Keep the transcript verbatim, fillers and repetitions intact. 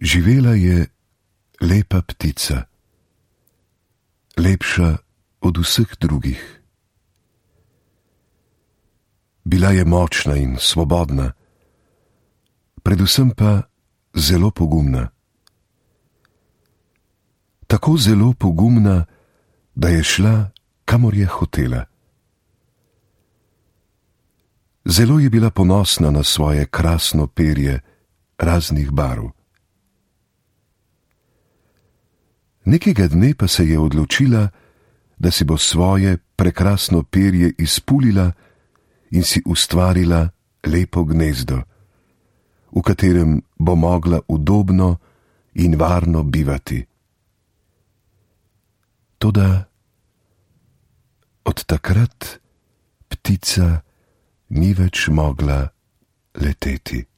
Živela je lepa ptica, lepša od vseh drugih. Bila je močna in svobodna, predvsem pa zelo pogumna. Tako zelo pogumna, da je šla, kamor je hotela. Zelo je bila ponosna na svoje krasno perje raznih barv. Nekega dne pa se je odločila, da si bo svoje prekrasno perje izpulila in si ustvarila lepo gnezdo, v katerem bo mogla udobno in varno bivati. Toda od takrat ptica ni več mogla leteti.